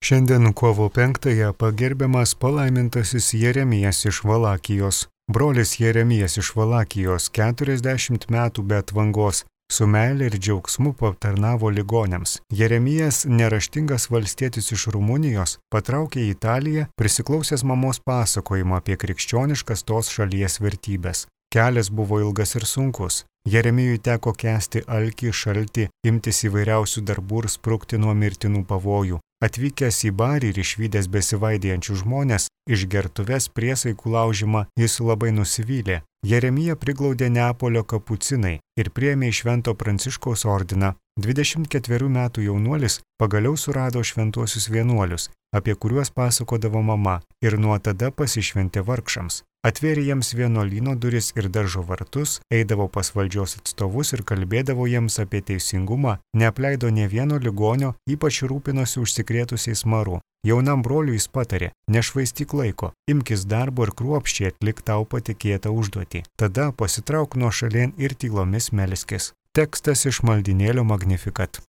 Šiandien kovo 5-ąją pagerbiamas palaimintasis Jeremijas iš Valakijos. Brolis Jeremijas iš Valakijos 40 metų be atvangos su meile ir džiaugsmu patarnavo ligoniams. Jeremijas, neraštingas valstietis iš Rumunijos, patraukė į Italiją, prisiklausęs mamos pasakojimo apie krikščioniškas tos šalies vertybės. Kelias buvo ilgas ir sunkus. Jeremijui teko kęsti alkį, šaltį, imtis įvairiausių darbų ir sprukti nuo mirtinų pavojų. Atvykęs į barį ir išvydęs besivaidėjančių žmonės, iš gertuvės priesaikų laužimą, jis labai nusivylė. Jeremiją priglaudė Neapolio kapucinai ir priėmė į Švento Pranciškaus ordiną. 24 metų jaunuolis pagaliau surado šventuosius vienuolius, apie kuriuos pasakodavo mama, ir nuo tada pasišventė vargšams. Atvėrė jiems vienuolyno duris ir daržo vartus, eidavo pas valdžios atstovus ir kalbėdavo jiems apie teisingumą, neapleido nė vieno ligonio, ypač rūpinosi užsikrėtusiais maru. Jaunam broliui jis patarė: nešvaistyk laiko, imkis darbo ir kruopščiai atlik tau patikėtą užduotį. Tada pasitrauk nuo šalien ir tylomis melskis. Tekstas iš maldynėlio Magnificat.